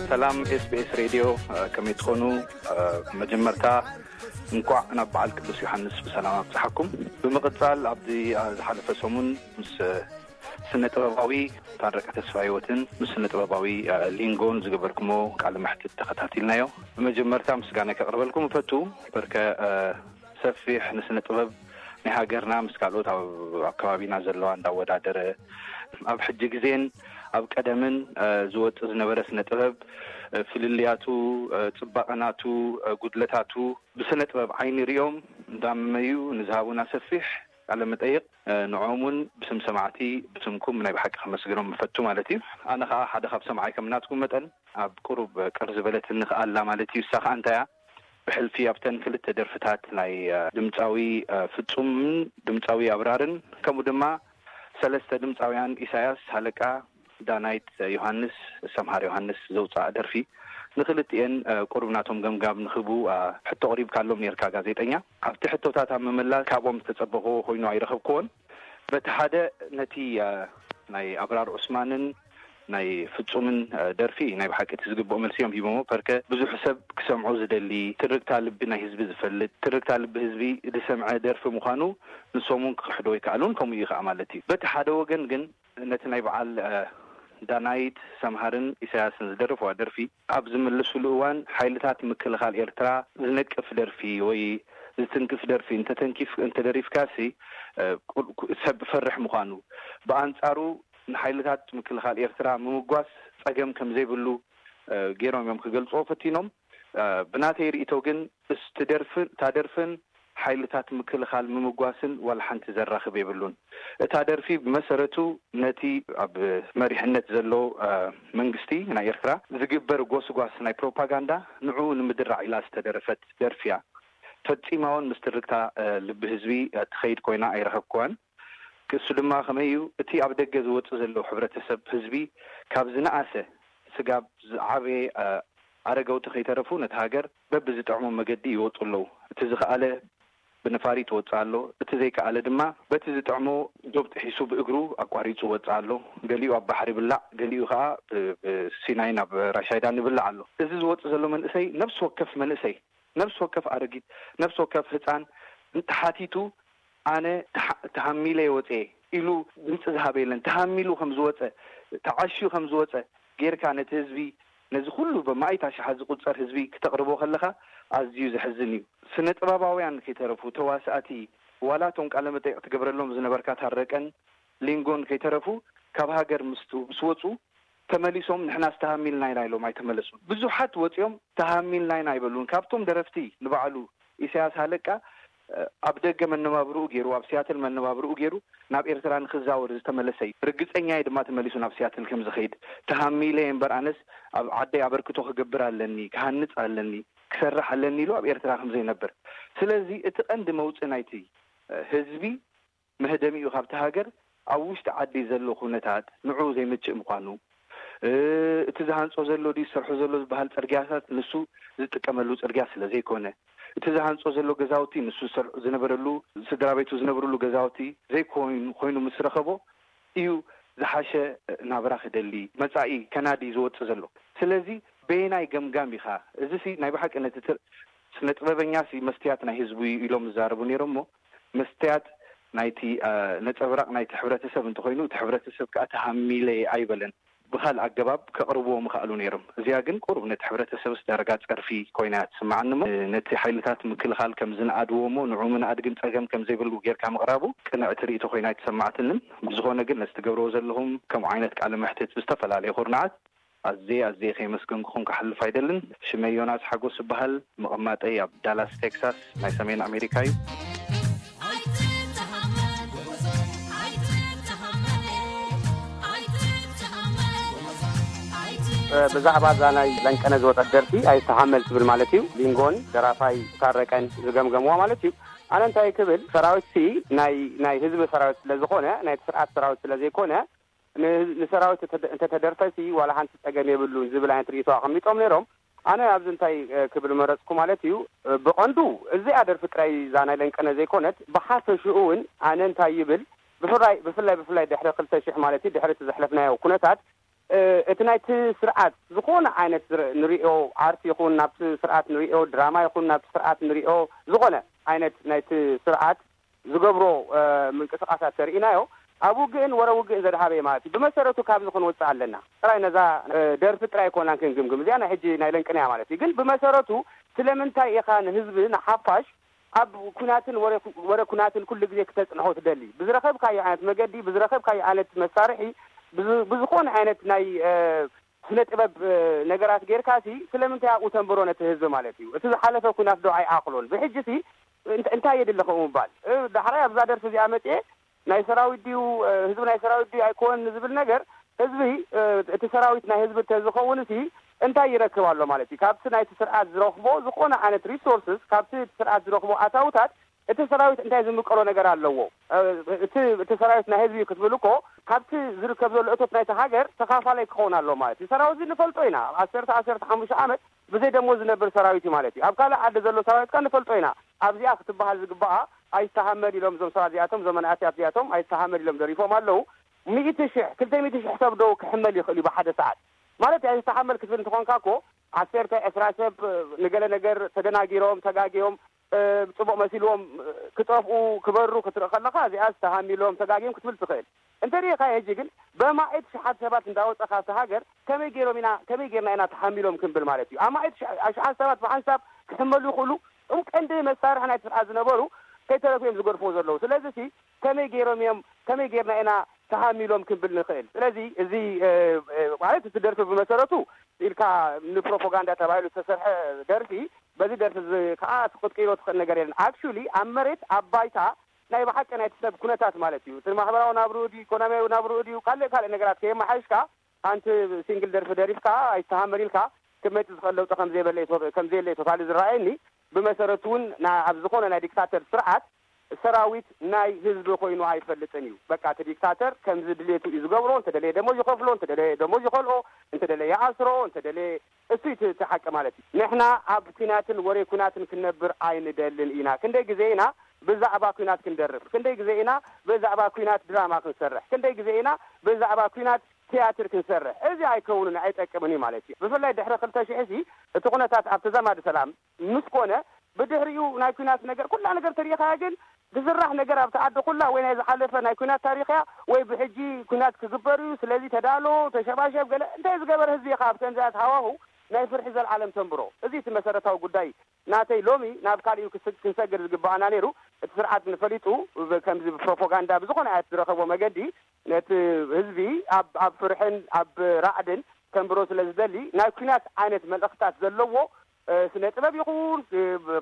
ሰላም ኤስቢኤስ ሬድዮ፣ እ፣ ከመይ ትኾኑ? እ፣ መጀመርታ እንኳዕ ናብ በዓል ቅዱስ ዮሃንስ ብሰላም ኣብጽሓኩም። ብምቕጻል ኣብዚ፣ እ፣ ዝሓለፈ ሰሙን ምስ፣ እ፣ ስነ ጥበባዊ ታረቀ ተስፋ ህይወትን ምስ ስነ ጥበባዊ፣ እ፣ ሊንጎን ዝገበርኩሞ ቃለ መሕትት ተኸታቲልናዮ። ብመጀመርታ ምስጋና ከቕርበልኩም እፈቱ። በርከ፣ እ፣ ሰፊሕ ንስነ ጥበብ ናይ ሃገርና ምስ ካልኦት ኣብ፣ ኣብ ከባቢና ዘለዋ እንዳወዳደረ ኣብ ሕጂ ግዜን ኣብ ቀደምን፣ እ፣ ዝወጽእ ዝነበረ ስነ ጥበብ፣ እ፣ ፍልልያቱ፣ እ፣ ጽባቐናቱ፣ እ፣ ጉድለታቱ ብስነ ጥበብ ዓይኒ ሪኦም እንዳመዩ ንዝሃቡና ሰፊሕ ቃለ መጠይቕ፣ እ፣ ንዕኦም እውን ብስም ሰማዕቲ ብስምኩም ናይ ብሓቂ ከመስግኖም ምፈቱ ማለት እዩ። ኣነ ኸዓ ሓደ ካብ ሰምዓይ ከም ናትኩም መጠን ኣብ ቁሩብ ቅር ዝበለትኒ ኸኣ ኣላ ማለት እዩ። እሳ ኸኣ እንታይ እያ? ብሕልፊ ኣብተን ክልተ ደርፍታት ናይ፣ እ፣ ድምጻዊ፣ እ፣ ፍጹምን ድምጻዊ ኣብራርን ከምኡ ድማ ሰለስተ ድምጻውያን ኢሳያስ ሃለቃ፣ ዳናይት ዮሃንስ፣ ሰምሃር ዮሃንስ ዘውጽኣ ደርፊ ንክልቲኤን፣ እ፣ ቁሩብ ናቶም ገምጋም ንክህቡ፣ እ፣ ሕቶ ኣቕሪብካሎም ኔርካ ጋዜጠኛ። ኣብቲ ሕቶታት ኣብ ምምላስ ካብኦም ዝተጸበኽዎ ኮይኑ ኣይረኸብክዎን። በቲ ሓደ ነቲ፣ እ፣ ናይ ኣብራር ዑስማንን ናይ ፍጹምን፣ እ፣ ደርፊ ናይ ብሓቂ እቲ ዝግብኦ መልሲ እዮም ሂቦሞ። ፐርከ ብዙሕ ሰብ ክሰምዖ ዝደሊ ትርግታ ልቢ ናይ ህዝቢ ዝፈልጥ ትርግታ ልቢ ህዝቢ ዝሰምዐ ደርፊ ምዃኑ ንሶም እውን ክኽሕዶ ኣይከኣሉን። ከምኡ እዩ ከዓ ማለት እዩ። በቲ ሓደ ወገን ግን ነቲ ናይ በዓል፣ እ፣ ዳናይት ሰምሃርን ኢሳያስን ዝደረፍዋ ደርፊ ኣብ ዝምልስሉ እዋን ሓይልታት ምክልኻል ኤርትራ ዝነቅፍ ደርፊ ወይ ዝትንክፍ ደርፊ እንተተንኪፍ-፣ እንተደሪፍካሲ፣ እ፣ ቁ-፣ ቁ-፣ ሰብ ፈርሕ ምዃኑ፣ ብኣንጻሩ ንሓይልታት ምክልኻል ኤርትራ ምምጓስ ጸገም ከም ዘይብሉ፣ እ፣ ገይሮም እዮም ክገልጽዎ ፈቲኖም። እ፣ ብናተይ ርእይቶ ግን እስቲ ደርፍን፣ እታ ደርፍን ሓይልታት ምክልኻል ምምጓስን ዋላ ሓንቲ ዘራኽብ የብሉን። እታ ደርፊ ብመሰረቱ ነቲ ኣብ መሪሕነት ዘሎ፣ እ፣ መንግስቲ ናይ ኤርትራ ዝግበር ጎስጓስ ናይ ፕሮፓጋንዳ ንዕኡ ንምድራዕ ኢላ ዝተደረፈት ደርፊ እያ። ፈጺማ እውን ምስ ትርግታ፣ እ፣ ልቢ ህዝቢ፣ እ፣ ትኸይድ ኮይና ኣይረኸብክዋን። ክሱ ድማ ከመይ እዩ? እቲ ኣብ ደገ ዝወጽእ ዘለዉ ሕብረተሰብ ህዝቢ ካብ ዝነኣሰ ስጋብ ዝዓበየ፣ እ፣ ኣረገውቲ ከይተረፉ ነቲ ሃገር በብዝጥዕሞም መገዲ ይወጡ ኣለዉ። እቲ ዝኸኣለ ብነፋሪት ይወጽእ ኣሎ። እቲ ዘይከኣለ ድማ በቲ ዝጥዕሞ ዶብ ጥሒሱ ብእግሩ ኣቋሪጹ ይወጽእ ኣሎ። ገሊኡ ኣብ ባሕሪ ይብላዕ፣ ገሊኡ ከኣ ብ-፣ ብሲናይ ናብ ራሻይዳን ይብላዕ ኣሎ። እዚ ዝወጽእ ዘሎ መንእሰይ፣ ነፍሲ ወከፍ መንእሰይ፣ ነፍሲ ወከፍ ኣረጊት፣ ነፍሲ ወከፍ ህጻን እንተሓቲቱ፣ ኣነ ተሓ-፣ ተሃሚለ ወጽኤ ኢሉ ድምጺ ዝሃበ የለን። ተሃሚሉ ከም ዝወጸ፣ ተዓሽዩ ከም ዝወጸ ጌርካ ነቲ ህዝቢ፣ ነዚ ኩሉ ብማእት ኣሽሓት ዝቁጸር ህዝቢ ክተቕርቦ ከለኻ ኣዝዩ ዘሕዝን እዩ። ስነ ጥበባውያን ከይተረፉ፣ ተዋሳእቲ፣ ዋላ እቶም ቃለ መጠይቕ ትገብረሎም ዝነበርካ ታረቀን ሊንጎን ከይተረፉ ካብ ሃገር ምስ፣ ምስ ወጹ ተመሊሶም ንሕናስ ተሃሚልና ኢና ኢሎም ኣይተመለሱን። ብዙሓት ወጺኦም ተሃሚልና ኢና ኣይበሉን። ካብቶም ደረፍቲ ንባዕሉ ኢሳያስ ሃለቃ፣ እ፣ ኣብ ደገ መነባብርኡ ገይሩ፣ ኣብ ሲያትል መነባብርኡ ገይሩ ናብ ኤርትራ ንክዛወር ዝተመለሰ እዩ። ርግጸኛ እየ ድማ ተመሊሱ ናብ ሲያትል ከም ዝኸይድ። ተሃሚለ እየ እምበር ኣነስ ኣብ ዓደይ ኣበርክቶ ክገብር ኣለኒ፣ ክሃንጽ ኣለኒ፣ ክሰርሕ ኣለኒ ኢሉ ኣብ ኤርትራ ከም ዘይነብር። ስለዚ እቲ ቀንዲ መውጽኢ ናይቲ፣ እ፣ ህዝቢ መህደሚኡ ካብቲ ሃገር ኣብ ውሽጢ ዓዲ ዘሎ ኩነታት ንዕኡ ዘይምችእ ምዃኑ፣ እ፣ እቲ ዝሃንጾ ዘሎ ድዩ ዝሰርሖ ዘሎ ዝበሃል ጽርግያታት ንሱ ዝጥቀመሉ ጽርግያ ስለ ዘይኮነ፣ እቲ ዝሃንጾ ዘሎ ገዛውቲ ንሱ ዝሰርሑ ዝነበረሉ፣ ስድራ ቤቱ ዝነብርሉ ገዛውቲ ዘይኮይኑ ኮይኑ ምስ ረኸቦ እዩ ዝሓሸ ናብራ ክደሊ፣ መጻኢ ከናዲ ዝወጽእ ዘሎ። ስለዚ በየናይ ገምጋም ኢኻ? እዚሲ ናይ ብሓቂ ነቲ ትር-፣ ስነ ጥበበኛሲ መስትያት ናይ ህዝቡ እዩ ኢሎም ዝዛረቡ ነይሮም እሞ፣ መስትያት ናይቲ፣ እ፣ ነጸብራቕ ናይቲ ሕብረተሰብ እንተኾይኑ፣ እቲ ሕብረተሰብ ከኣ ተሃሚለ ኣይበለን። ብኻልእ ኣገባብ ከቕርብዎ ምኽኣሉ ነይሮም። እዚኣ ግን ቁሩብ ነቲ ሕብረተሰብስ ዳርጋ ጸርፊ ኮይና እያ ትስምዓኒ እሞ፣ ነቲ ሓይልታት ምክልኻል ከም ዝነኣድዎ እሞ፣ ንዑ ምንኣድ ግን ጸገም ከም ዘይብሉ ጌርካ ምቕራቡ ቅንዕቲ ርእይቶ ኮይና ኣይተሰማዕትንን። ብዝኾነ ግን ነዚ ትገብርዎ ዘለኹም ከምኡ ዓይነት ቃለ መሕትት ብዝተፈላለየ ኩርናዓት ኣዝየ ኣዝየ ከየመስገንኩኹም ክሓልፍ ኣይደልን። ሽመይ ዮናስ ሓጎስ እበሃል። መቐማጠይ ኣብ ዳላስ ቴክሳስ ናይ ሰሜን ኣሜሪካ እዩ። እ፣ ብዛዕባ እዛ ናይ ለንቀነ ዝወጸት ደርፊ ኣይተሃመል ትብል ማለት እዩ። ሊንጎን ደራፋይ ታረቀን ዝገምገምዋ ማለት እዩ። ኣነ እንታይ ክብል፣ ሰራዊትሲ ናይ፣ ናይ ህዝቢ ሰራዊት ስለ ዝኾነ፣ ናይቲ ስርዓት ሰራዊት ስለ ዘይኮነ፣ ን-፣ ንሰራዊት እንተ-፣ እንተተደርፈሲ ዋላ ሓንቲ ጸገም የብሉን ዝብል ዓይነት ርእይቶ ኣቐሚጦም ነይሮም። ኣነ ኣብዚ እንታይ፣ እ፣ ክብል መረጽኩ ማለት እዩ፣ እ፣ ብቐንዱ እዚኣ ደርፊ ጥራይ እዛ ናይ ለንቀነ ዘይኮነት፣ ብሓፈሽኡ እውን ኣነ እንታይ ይብል፣ ብፍላይ፣ ብፍላይ፣ ብፍላይ ድሕሪ ክልተ ሽሕ ማለት እዩ፣ ድሕሪ እቲ ዘሕለፍናዮ ኩነታት፣ እቲ ናይቲ ስርዓት ዝኾነ ዓይነት ንሪኦ ኣርት ይኹን ናብቲ ስርዓት ንሪኦ ድራማ ይኹን ናብቲ ስርዓት ንሪኦ ዝኾነ ዓይነት ናይቲ ስርዓት ዝገብሮ ምንቅስቃሳት ተርእናዮ ኣብ ውግእን ወረ ውግእን ዘድሃበ ማለት እዩ። ብመሰረቱ ካብዚ ክንወፅእ ኣለና። ጥራይ ነዛ ደርፊ ጥራይ ኮናን ክንግምግም እዚኣ ናይ ሕጂ ናይ ለንቅንያ ማለት እዩ። ግን ብመሰረቱ ስለምንታይ ኢኻ ንህዝቢ ንሓፋሽ ኣብ ኩናትን ወረ ኩናትን ኩሉ ግዜ ክተፅንሖ ትደሊ? ብዝረኸብካዮ ዓይነት መገዲ ብዝረኸብካዮ ዓይነት መሳርሒ ብዝኾነ ዓይነት ናይ ስነ ጥበብ ነገራት ጌርካ ሲ ስለምንታይ ኣብኡ ተንብሮ ነቲ ህዝቢ ማለት እዩ? እቲ ዝሓለፈ ኩናት ዶ ኣይኣኽሎን? ብሕጂ ሲ እንታይ የድሊ ከምኡ ምባል? ዳሕራይ ኣብዛ ደርፊ እዚኣ መፅኤ ናይ ሰራዊት ድዩ ህዝቢ ናይ ሰራዊት ድዩ ኣይኮነን ንዝብል ነገር ህዝቢ እቲ ሰራዊት ናይ ህዝቢ እንተዝኸውን ሲ እንታይ ይረክብ ኣሎ ማለት እዩ? ካብቲ ናይቲ ስርዓት ዝረኽቦ ዝኾነ ዓይነት ሪሶርስስ ካብቲ ስርዓት ዝረኽቦ ኣታውታት እቲ ሰራዊት እንታይ ዝምቀሎ ነገር ኣለዎ? እቲ እቲ ሰራዊት ናይ ህዝቢ ክትብል እኮ ካብቲ ዝርከብ ዘሎ እቶት ናይቲ ሃገር ተኻፋላይ ክኸውን ኣለዎ ማለት እዩ። ሰራዊት እዚ ንፈልጦ ኢና። ዓሰርተ ዓሰርተ ሓሙሽተ ዓመት ብዘይ ደሞዝ ዝነብር ሰራዊት እዩ ማለት እዩ። ኣብ ካልእ ዓዲ ዘሎ ሰራዊት ከ ንፈልጦ ኢና። ኣብዚኣ ክትበሃል ዝግባኣ ኣይተሃመል ኢሎም እዞም ሰባት እዚኣቶም እዞም መናእሰያት እዚኣቶም ኣይተሃመል ኢሎም ደሪፎም ኣለዉ። ሚእቲ ሽሕ ክልተ ሚእቲ ሽሕ ሰብ ዶ ክሕመል ይኽእል እዩ ብሓደ ሰዓት? ማለት ኣይተሃመል ክትብል እንተኾንካ እኮ ዓሰርተ ዕስራ ሰብ ንገለ ነገር ተደናጊሮም ተጋጊዮም ጽቡቕ መሲልዎም ክጠፍኡ ክበሩ ክትርኢ ከለኻ እዚኣ ዝተሃሚሎም ተጋግዮም ክትብል ትኽእል። እንተ ሪኢኻ ሕጂ ግን በማዒት ሽሓት ሰባት እንዳወፀኻ እቲ ሃገር ከመይ ገይሮም ኢና ከመይ ገይርና ኢና ተሃሚሎም ክንብል ማለት እዩ። ኣማዒት ሽሓት ሰባት ብሓንሳብ ክሕመሉ ይኽእሉ። እም ቀንዲ መሳርሒ ናይ ስርዓት ዝነበሩ ከይተረፉ እዮም ዝገድፍዎ ዘለዉ። ስለዚ ሲ ከመይ ገይሮም እዮም ከመይ ገይርና ኢና ተሃሚሎም ክንብል ንኽእል። ስለዚ እዚ ማለት እቲ ደርፊ ብመሰረቱ ኢልካ ንፕሮፓጋንዳ ተባሂሉ ዝተሰርሐ ደርፊ በዚ ደርፊ እዚ ከዓ ክትቅይሮ ትኽእል ነገር የለን። ኣክቹሊ ኣብ መሬት ኣብ ባይታ ናይ ብሓቂ ናይቲ ሰብ ኩነታት ማለት እዩ። እቲ ማሕበራዊ ናብርኡ ድዩ ኢኮኖሚያዊ ናብርኡ ድዩ ካልእ ካልእ ነገራት ከየመሓይሽካ ሓንቲ ሲንግል ደርፊ ደሪፍካ ኣይተሃመል ኢልካ ክመፅእ ዝኽእል ለውጢ ከምዘየለ እዩ ቶ- ከምዘየለ እዩ ቶታሊ ዝረኣየኒ። ብመሰረቱ እውን ና- ኣብ ዝኾነ ናይ ዲክታተር ስርዓት ሰራዊት ናይ ህዝቢ ኮይኑ ኣይፈልጥን እዩ። በቃ እቲ ዲክታተር ከምዚ ድሌቱ እዩ ዝገብሮ። እንተደለየ ደሞዝ ይኸፍሎ፣ እንተደለየ ደሞዝ ይኸልኦ፣ እንተደለየ ይኣስሮ፣ እንተደለየ እሱ እዩ እቲ ሓቂ ማለት እዩ። ንሕና ኣብ ኩናትን ወሬ ኩናትን ክንነብር ኣይንደልን ኢና። ክንደይ ግዜ ኢና ብዛዕባ ኩናት ክንደርፍ? ክንደይ ግዜ ኢና ብዛዕባ ኩናት ድራማ ክንሰርሕ? ክንደይ ግዜ ኢና ብዛዕባ ኩናት ትያትር ክንሰርሕ? እዚ ኣይከውንን ኣይጠቅምን እዩ ማለት እዩ። ብፍላይ ድሕሪ ክልተ ሽሕ ሲ እቲ ኩነታት ኣብ ተዛማዲ ሰላም ምስ ኮነ ብድሕሪኡ ናይ ኩናት ነገር ኩላ ነገር ተሪኢኻያ ግን ዝስራሕ ነገር ኣብቲ ዓዲ ኩላ ወይ ናይ ዝሓለፈ ናይ ኩናት ታሪኽያ ወይ ብሕጂ ኩናት ክግበር እዩ ስለዚ ተዳሎ ተሸባሸብ ገለ እንታይ ዝገበር ህዝቢ ኢኻ ኣብ ከምዚኣት ሃዋሁ ናይ ፍርሒ ዘልዓለም ተንብሮ እዚ እቲ መሰረታዊ ጉዳይ ናተይ ሎሚ ናብ ካሊኡ ክንሰግር ዝግባኣና ነይሩ እቲ ስርዓት ንፈሊጡ ከምዚ ፕሮፓጋንዳ ብዝኾነ ኣያት ዝረኸቦ መገዲ ነቲ ህዝቢ ኣብ ኣብ ፍርሕን ኣብ ራዕድን ከንብሮ ስለ ዝደሊ ናይ ኩናት ዓይነት መልእኽታት ዘለዎ ስነ ጥበብ ይኹን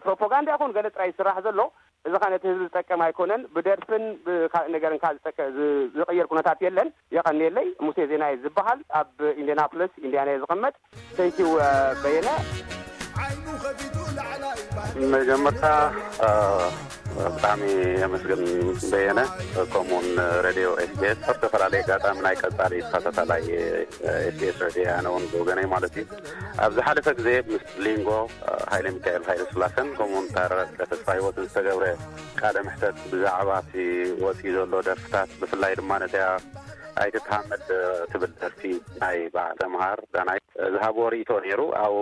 ፕሮፓጋንዳ ይኹን ገለ ጥራይ ዝስራሕ ዘሎ እዚ ኸ ነቲ ህዝቢ ዝጠቅም ኣይኮነን። ብደርፍን ብካልእ ነገርን ከ ዝጠቅ- ዝ- ዝቕየር ኩነታት የለን። የቐንየለይ። ሙሴ ዜናይ ዝበሃል ኣብ ኢንዲያናፖሊስ ኢንዲያና እየ ዝቕመጥ። Thank you በየነ። መጀመርታ ብጣዕሚ የመስግን በየነ ከምኡውን ሬድዮ ኤስቢኤስ ኣብ ዝተፈላለየ ኣጋጣሚ ናይ ቀጻሊ ተኸታታላይ ኤስቢኤስ ሬድዮ ኣነ እውን ብወገነይ ማለት እዩ ኣብ ዝሓለፈ ግዜ ምስ ሊንጎ ሃይለ ሚካኤል ሃይለ ስላሰን ከምኡውን ታረቀ ተስፋ ህይወትን ዝተገብረ ቃለ ምሕተት ብዛዕባ እቲ ወፂኡ ዘሎ ደርፍታት ብፍላይ ድማ ነቲያ ኣይትተሃመል ትብል ደርፊ ናይ በዓል ተምሃር ዳናይ ዝሃብዎ ርእይቶ ነይሩ። ኣብኡ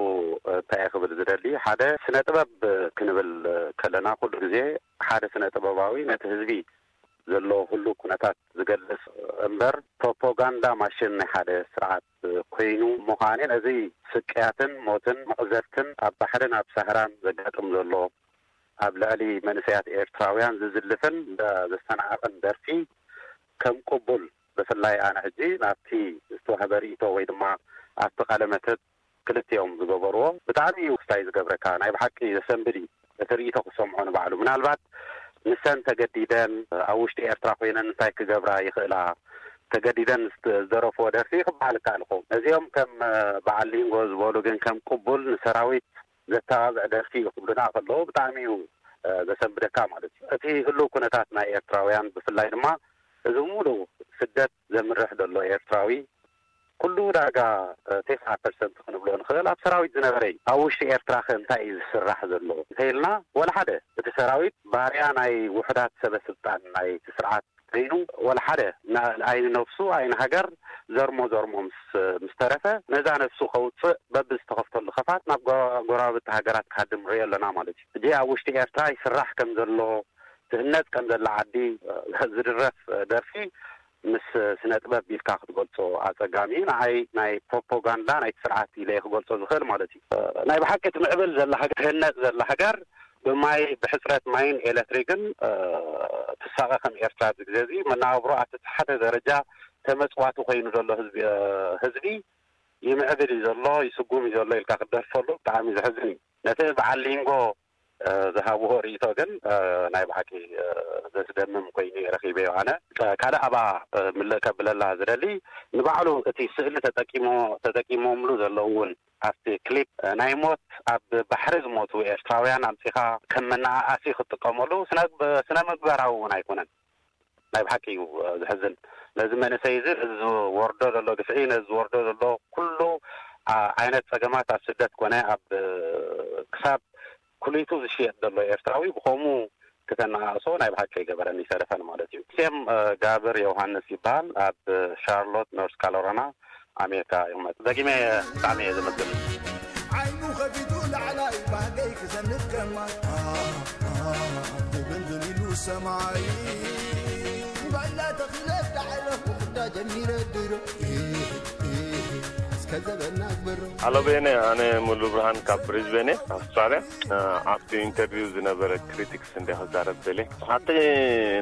እንታይ እየ ክብል ዝደሊ፣ ሓደ ስነ ጥበብ ክንብል ከለና ኩሉ ግዜ ሓደ ስነ ጥበባዊ ነቲ ህዝቢ ዘለዎ ኩሉ ኩነታት ዝገልፅ እምበር ፕሮፓጋንዳ ማሽን ናይ ሓደ ስርዓት ኮይኑ ምዃኔ ነዚ ስቅያትን ሞትን መቕዘፍትን ኣብ ባሕርን ኣብ ሳህራን ዘጋጥም ዘሎ ኣብ ልዕሊ መንእሰያት ኤርትራውያን ዝዝልፍን ዘስተናዕቕን ደርፊ ከም ቅቡል ብፍላይ ኣነ ሕጂ ናብቲ ዝተዋህበ ርእይቶ ወይ ድማ ኣብቲ ቃለ መተት ክልቲኦም ዝገበርዎ ብጣዕሚ እዩ ክስታይ ዝገብረካ ናይ ብሓቂ ዘሰንብድ እዩ እቲ ርእይቶ ክሰምዖ ንባዕሉ ምናልባት ንሰን ተገዲደን ኣብ ውሽጢ ኤርትራ ኮይነን እንታይ ክገብራ ይኽእላ ተገዲደን ዝደረፍዎ ደርፊ ክበሃል ይከኣል ይኸውን ነዚኦም ከም በዓል ሊንጎ ዝበሉ ግን ከም ቅቡል ንሰራዊት ዘተባብዕ ደርፊ እዩ ክብሉና ከለዉ ብጣዕሚ እዩ ዘሰንብደካ ማለት እዩ እቲ ህልው ኩነታት ናይ ኤርትራውያን ብፍላይ ድማ እዚ ሙሉእ ስደት ዘምርሕ ዘሎ ኤርትራዊ ኩሉ ዳርጋ ተስዓ ፐርሰንት ክንብሎ ንኽእል ኣብ ሰራዊት ዝነበረ እዩ ኣብ ውሽጢ ኤርትራ ከ እንታይ እዩ ዝስራሕ ዘሎ እንተኢልና ወላ ሓደ እቲ ሰራዊት ባርያ ናይ ውሑዳት ሰበ ስልጣን ናይቲ ስርዓት ኮይኑ፣ ወላ ሓደ ና-፣ ኣይንነብሱ ኣይንሃገር ዘርሞ ዘርሞ ምስ ምስ ተረፈ፣ ነዛ ነብሱ ከውፅእ በብዝተኸፍተሉ ከፋት ናብ ጎ-፣ ጎረባብቲ ሃገራት ክሃድም ንሪኦ ኣለና ማለት እዩ። ሕጂ ኣብ ውሽጢ ኤርትራ ይስራሕ ከም ዘሎ፣ ትህነፅ ከም ዘላ ዓዲ ዝድረፍ ደርፊ ምስ ስነ ጥበብ ኢልካ ክትገልጾ ኣጸጋሚ እዩ። ንዓይ ናይ ፕሮፓጋንዳ ናይቲ ስርዓት ኢለ እየ ክገልጾ ዝኽእል ማለት እዩ። ናይ ብሓቂ ትምዕብል ዘላ ሃገር፣ ትህነጽ ዘላ ሃገር ብማይ፣ ብሕጽረት ማይን ኤለክትሪክን ትሳቐ ከም ኤርትራ ኣብዚ ግዜ እዚ መነባብሮ ኣብቲ ዝሓተ ደረጃ ተመጽዋቲ ኮይኑ ዘሎ ህዝቢ፣ ህዝቢ ይምዕብል እዩ ዘሎ፣ ይስጉም እዩ ዘሎ ኢልካ ክትደርፈሉ ብጣዕሚ ዘሕዝን እዩ። ነቲ በዓል ሊንጎ ዝሃብዎ ርእይቶ ግን ናይ ብሓቂ ዘስደምም ኮይኑ ረኺበዮ። ኣነ ካልእ ኣባ ምልእ ከብለላ ዝደሊ፣ ንባዕሉ እቲ ስእሊ ተጠቂሞ-፣ ተጠቂሞምሉ ዘለዉ እውን ኣብቲ ክሊፕ ናይ ሞት ኣብ ባሕሪ ዝሞቱ ኤርትራውያን ኣምጺኻ ከም መነኣኣሲ ክትጥቀመሉ ስነ-፣ ስነ ምግባራዊ እውን ኣይኮነን። ናይ ብሓቂ እዩ ዘሕዝን። ነዚ መንእሰይ እዚ ነዚ ዝወርዶ ዘሎ ግፍዒ፣ ነዚ ዝወርዶ ዘሎ ኩሉ ዓይነት ጸገማት ኣብ ስደት ኮነ ኣብ ክሳብ ኩሊቱ ዝሽየጥ ዘሎ ኤርትራዊ ብኸምኡ ክተነኣእሶ ናይ ብሓቂ ኣይገበረን ይተረፈን ማለት እዩ። ሴም ጋብር ዮሃንስ ይበሃል። ኣብ ሻርሎት ኖርስ ካሮላይና ኣሜሪካ ይቕመጥ። ደጊመ ብጣዕሚ እየ ዘመስግን። ዓይኑ ከፊቱ ላዕላይ ባህገይ ክሰንፍ ከማይ ትብንዝን ኢሉ ሰማይ ባይላ ተኺለ ዳዕለ ክዳ ጀሚረ ድሮ እስከ ዘበና ግበሮ። ሃሎ ቤነ፣ ኣነ ሙሉ ብርሃን ካብ ብሪዝቤን እየ፣ ኣውስትራልያ። ኣብቲ ኢንተርቪው ዝነበረ ክሪቲክስ እንደ ክዛረብ ደልየ። ኣብቲ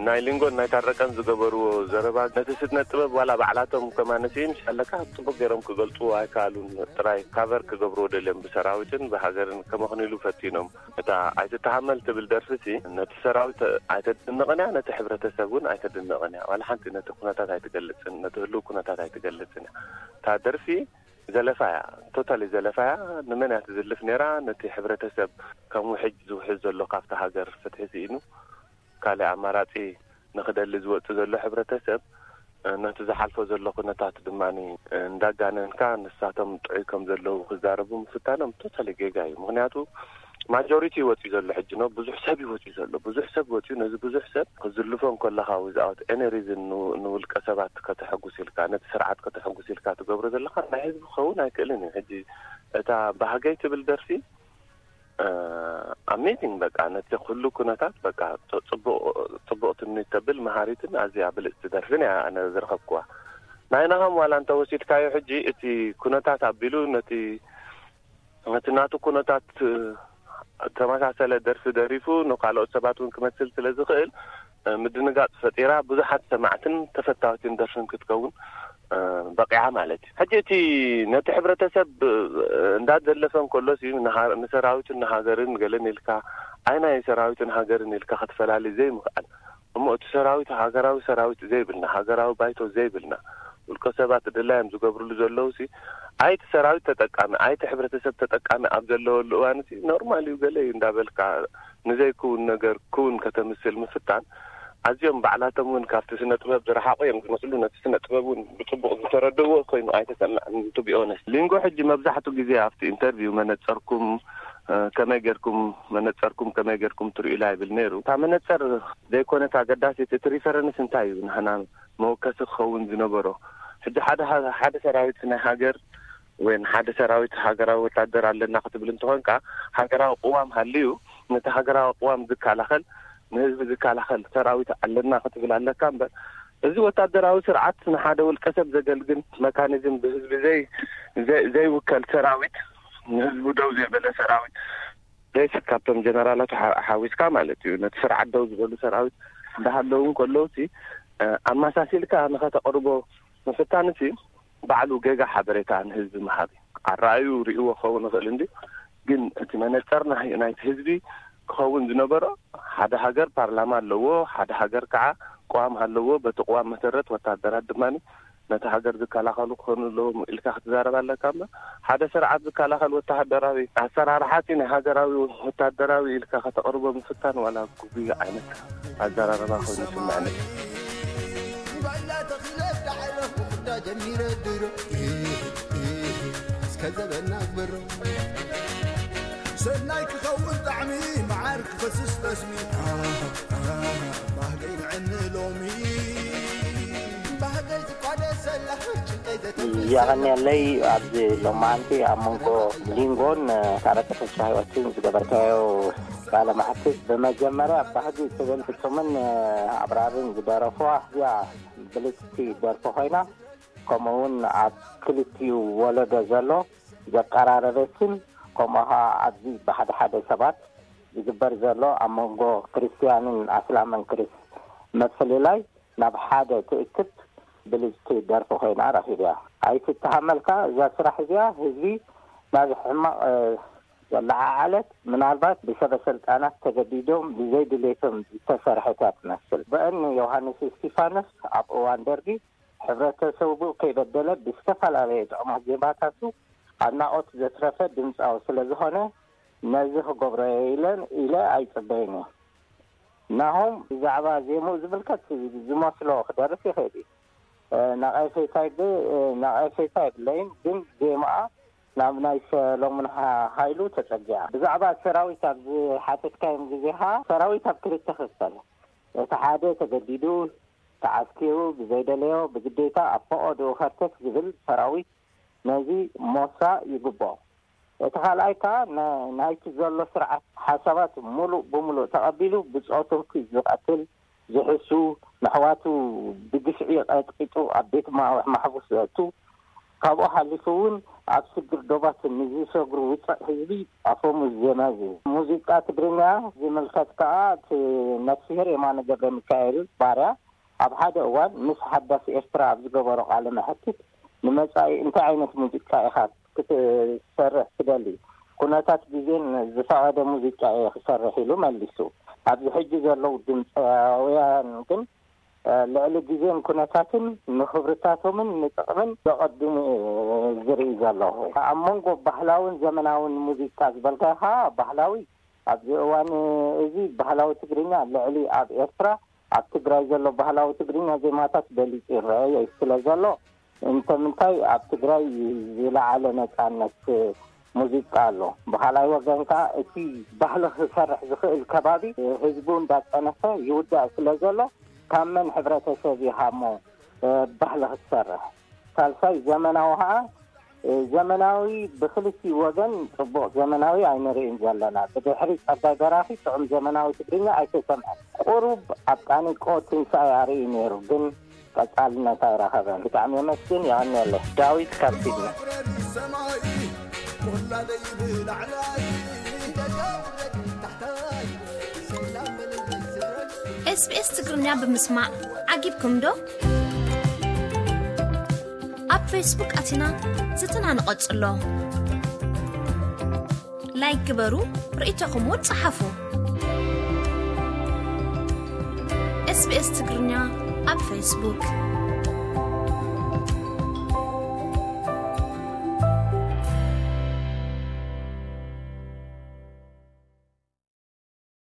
ናይ ሊንጎን ናይ ታረቀን ዝገበርዎ ዘረባ ነቲ ስነ ጥበብ ዋላ ባዕላቶም ከማነሲ ምሽ ኣለካ ጽቡቅ ገይሮም ክገልጽዎ ኣይከኣሉን። ጥራይ ካቨር ክገብርዎ ደልዮም ብሰራዊትን ብሃገርን ከመኽንሉ ፈቲኖም። እታ ኣይትተሃመል ትብል ደርፊ ሲ ነቲ ሰራዊት ኣይተድንቕን እያ፣ ነቲ ሕብረተሰብ እውን ኣይተድንቕን እያ። ዋላ ሓንቲ ነቲ ኩነታት ኣይትገልጽን፣ ነቲ ህልው ኩነታት ኣይትገልጽን እያ። እታ ደርፊ ዘለፋ እያ፣ ቶታሊ ዘለፋ እያ። ንመን እያ ትዝልፍ ነይራ? ነቲ ሕብረተሰብ ከም ውሕጅ ዝውሕዝ ዘሎ ካብቲ ሃገር ፍትሒ ስኢኑ ካልእ ኣማራጺ ንኽደሊ ዝወጽእ ዘሎ ሕብረተሰብ ነቲ ዝሓልፎ ዘሎ ኩነታት ድማ እንዳጋነንካ ንሳቶም ጥዑይ ከም ዘለዉ ክዛረቡ ምፍታኖም ቶታሊ ጌጋ እዩ። ምኽንያቱ ማጆሪቲ እዩ ወጺኡ ዘሎ ሕጂ ነው። ብዙሕ ሰብ እዩ ወጺኡ ዘሎ። ብዙሕ ሰብ ወጺኡ ነዚ ብዙሕ ሰብ ክዝልፎ እንከለኻ without any reason ንውልቀ ሰባት ከተሐጉስ ኢልካ ነቲ ስርዓት ከተሐጉስ ኢልካ ትገብሮ ዘለኻ ናይ ህዝቢ ክኸውን ኣይክእልን እዩ። ሕጂ እታ ባህገይ ትብል ደርፊ ኣሜዚንግ በቃ ነቲ ኩሉ ኩነታት በቃ ጽቡቕ ጽቡቕ ትምኒት ተብል መሃሪትን ኣዝያ ብልጽቲ ደርፍን እያ ኣነ ዝረኸብኩዋ። ናይ ናሆም ዋላ እንተ ወሲድካዮ ሕጂ እቲ ኩነታት ኣቢሉ ነቲ ነቲ ናቱ ኩነታት ተመሳሰለ ደርፊ ደሪፉ ንካልኦት ሰባት እውን ክመስል ስለ ዝኽእል ምድንጋጽ ፈጢራ ብዙሓት ሰማዕትን ተፈታዊትን ደርፍን ክትከውን በቂዓ ማለት እዩ። ሕጂ እቲ ነቲ ሕብረተሰብ እንዳዘለፈ እንከሎስ እዩ ንሃ- ንሰራዊትን ንሃገርን ገለን ኢልካ ኣይ ናይ ሰራዊትን ሃገርን ኢልካ ክትፈላሊ ዘይምኽኣል እሞ እቲ ሰራዊት ሃገራዊ ሰራዊት ዘይብልና ሃገራዊ ባይቶ ዘይብልና ውልቀ ሰባት ድላዮም ዝገብርሉ ዘለዉ ሲ ኣይቲ ሰራዊት ተጠቃሚ ኣይቲ ሕብረተሰብ ተጠቃሚ ኣብ ዘለወሉ እዋን ሲ ኖርማል እዩ ገለ እዩ እንዳበልካ ንዘይክውን ነገር ክውን ከተምስል ምፍታን ኣዝዮም ባዕላቶም እውን ካብቲ ስነ ጥበብ ዝረሓቑ እዮም ዝመስሉ። ነቲ ስነ ጥበብ እውን ብፅቡቕ ዝተረድእዎ ኮይኑ ኣይተሰምዐን። To be honest ሊንጎ ሕጂ መብዛሕቱ ግዜ ኣብቲ ኢንተርቪው መነፀርኩም ከመይ ጌርኩም መነፀርኩም ከመይ ጌርኩም ትርእዩላ ይብል ነይሩ። እታ መነፀር ዘይኮነት ኣገዳሲት እቲ ሪፈረንስ እንታይ እዩ ንሕና መወከሲ ክኸውን ዝነበሮ። ሕጂ ሓደ ሓደ ሰራዊት ናይ ሃገር ወይ ሓደ ሰራዊት ሃገራዊ ወታደር ኣለና ክትብል እንተኾንካ ሃገራዊ ቅዋም ሃልዩ ነቲ ሃገራዊ ቅዋም ዝከላኸል ንህዝቢ ዝከላኸል ሰራዊት ኣለና ክትብል ኣለካ እምበር እዚ ወታደራዊ ስርዓት ንሓደ ውልቀ ሰብ ዘገልግል መካኒዝም ብህዝቢ ዘይ ዘይውከል ሰራዊት ንህዝቡ ደው ዘበለ ሰራዊት ዘይስብ ካብቶም ጀነራላት ሓዊስካ ማለት እዩ። ነቲ ስርዓት ደው ዝበሉ ሰራዊት እንዳሃለዉ ከለውሲ ኣመሳሲልካ ንኸተቕርቦ ምፍታንሲ ባዕሉ ጌጋ ሓበሬታ ንህዝቢ ምሃብ እዩ። ኣረኣዩ ርእይዎ ክኸውን ይኽእል እንዲ ግን እቲ መነፀር ናይቲ ህዝቢ ክኸውን ዝነበሮ ሓደ ሃገር ፓርላማ ኣለዎ፣ ሓደ ሃገር ከዓ ቅዋም ኣለዎ። በቲ ቅዋም መሰረት ወታደራት ድማ ነቲ ሃገር ዝከላኸሉ ክኾኑ ኣለዎም ኢልካ ክትዛረብ ኣለካ እምበር ሓደ ስርዓት ዝከላኸል ወተሃደራዊ ኣሰራርሓ እቲ ናይ ሃገራዊ ወተሃደራዊ ኢልካ ከተቕርቦ ምፍታን ዋላ ጉጉይ ዓይነት ኣዘራርባ ኮይኑ ይስምዐኒ። ባላ ተኺለ ዳዕለ ክዳ ጀሚረ ድሮ እስከ ዘበና ግበሮ ሰናይ ክኸውን ጣዕሚ፣ መዓር ክፈስስ ጠስሚ። ባህገይ ንዕኒ ሎሚ፣ ባህገይ ዝቋደሰላ፣ ጭንቀይ ዘተንፍሰላ። የቐንየለይ። ኣብዚ ሎማዓንቲ ኣብ መንጎ ሊንጎን፣ እ፣ ካረቀ ተስፋ ህይወትን ዝገበርካዮ ቃለ መሕትት፣ ብመጀመርያ ባህጊ ትብል ፍጹምን፣ እ፣ ኣብራርን ዝደረፉዋ እዚኣ ብልጽቲ ደርፊ ኮይና፣ ከምኡ እውን ኣብ ክልቲኡ ወለዶ ዘሎ ዘቀራረበትን፣ ከምኡ ኸዓ ኣብዚ ብሓደ ሓደ ሰባት ዝግበር ዘሎ ኣብ መንጎ ክርስትያንን ኣስላምን ክርስ-፣ ምፍልላይ ናብ ሓደ ትእክብ ብልጽቲ ደርፊ ኮይና ረኺብያ። ኣይትተሃመልካ፣ እዛ ስራሕ እዚኣ ህዝቢ ናብ ሕማቕ፣ እ፣ ዘለዓዓለት፣ ምናልባት ብሰበ ስልጣናት ተገዲዶም ብዘይ ድሌቶም ዝተሰርሐት እያ ትመስል። በእኒ ዮሃንስ እስቲፋኖስ ኣብ እዋን ደርጊ ሕብረተሰቡ ከይበደለ ብዝተፈላለየ ጥዑማት ዜማታቱ ኣድናቖት ዘትረፈ ድምጻዊ ስለ ዝኾነ፣ ነዚ ክገብሮ እየ ኢለን፣ ኢለ ኣይጽበይን እየ። ናሆም ብዛዕባ ዜምኡ ዝምልከት ዝመስሎ ክደርፍ ይኽእል እዩ። እ፣ ነቐፌታ ይብ-፣ እ፣ ነቐፌታ የብለይን፣ ግን ዜማኣ ናብ ናይ ሰሎሙን ሃ-፣ ሃይሉ ተጸጊዓ። ብዛዕባ ሰራዊት ኣብ ዝሓተትካዮም ግዜ ኸኣ፣ ሰራዊት ኣብ ክልተ ክፈል። እቲ ሓደ ተገዲዱ፣ ተዓስኪሩ፣ ብዘይደለዮ ብግዴታ ኣብ ፈቐድኡ ከርተት ዝብል ሰራዊት ነዚ ሞሳ ይግብኦ። እቲ ካልኣይ ከኣ ና-፣ ናይቲ ዘሎ ስርዓት ሓሳባት ሙሉእ ብሙሉእ ተቐቢሉ ብጾቱ ዝቐትል፣ ዝሕሱ፣ ነሕዋቱ ብግፍዒ ቀጥቂጡ ኣብ ቤት ማ-፣ ማሕቡስ ዘእቱ፣ ካብኡ ሓሊፉ እውን ኣብ ስግር ዶባት ንዝሰግሩ ውጽዕ ህዝቢ ኣፈሙዝ ዜማ እዩ። ሙዚቃ ትግርኛ ዝምልከት ከኣ እቲ ነፍስሄር የማነ ገብረ ሚካኤል ባርያ ኣብ ሓደ እዋን ምስ ሓዳስ ኤርትራ ኣብ ዝገበሮ ቃለ መሕትት፣ ንመጻኢ እንታይ ዓይነት ሙዚቃ ኢኻ ክትሰርሕ ትደሊ? ኩነታት ግዜን ዝፈቐደ ሙዚቃ እየ ክሰርሕ ኢሉ መሊሱ። ኣብዚ ሕጂ ዘለዉ ድምፃውያን ግን፣ እ፣ ልዕሊ ግዜን ኩነታትን ንኽብርታቶምን ንጥቕምን ዘቐድሙ እየ ዝርኢ ዘለኹ። ኣብ መንጎ ባህላውን ዘመናውን ሙዚቃ ዝበልካኻ፣ ባህላዊ ኣብዚ እዋን እዚ ባህላዊ ትግርኛ ልዕሊ ኣብ ኤርትራ፣ ኣብ ትግራይ ዘሎ ባህላዊ ትግርኛ ዜማታት በሊጹ ይረኣይ ስለ ዘሎ፣ እንተ ምንታይ ኣብ ትግራይ ዝለዓለ ነጻነት ሙዚቃ ኣሎ። ብኻልኣይ ወገን ከኣ እቲ ባህሊ ክሰርሕ ዝኽእል ከባቢ ህዝቡ እንዳጸነፈ ይውዳእ ስለ ዘሎ፣ ካብ መን ሕብረተሰብ ኢኻ እሞ፣ እ፣ ባህሊ ክትሰርሕ? ሳልሳይ ዘመናዊ ከኣ፣ እ፣ ዘመናዊ ብክልቲኡ ወገን ጽቡቕ ዘመናዊ ኣይንርእን ዘለና። ብድሕሪ ጸጋይ በራኺ ጥዑም ዘመናዊ ትግርኛ ኣይተሰምዐን። ቁሩብ ኣብ ቃኒቆ ትንሳኤ ኣርኢ ነይሩ፣ ግን ቀጻልነት ኣይረኸበን። ብጣዕሚ የመስግን፣ የቐንየለይ። ዳዊት ካብ ሲድኒ። ኤስቢኤስ ትግርኛ ብምስማዕ ዓጊብኩም ዶ? ኣብ ፌስቡክ ኣቲና ዝትና ንቐጽሎ። ላይክ ግበሩ፣ ርእይቶኹም እውን ጸሓፉ። ኤስቢኤስ ትግርኛ ኣብ ፌስቡክ።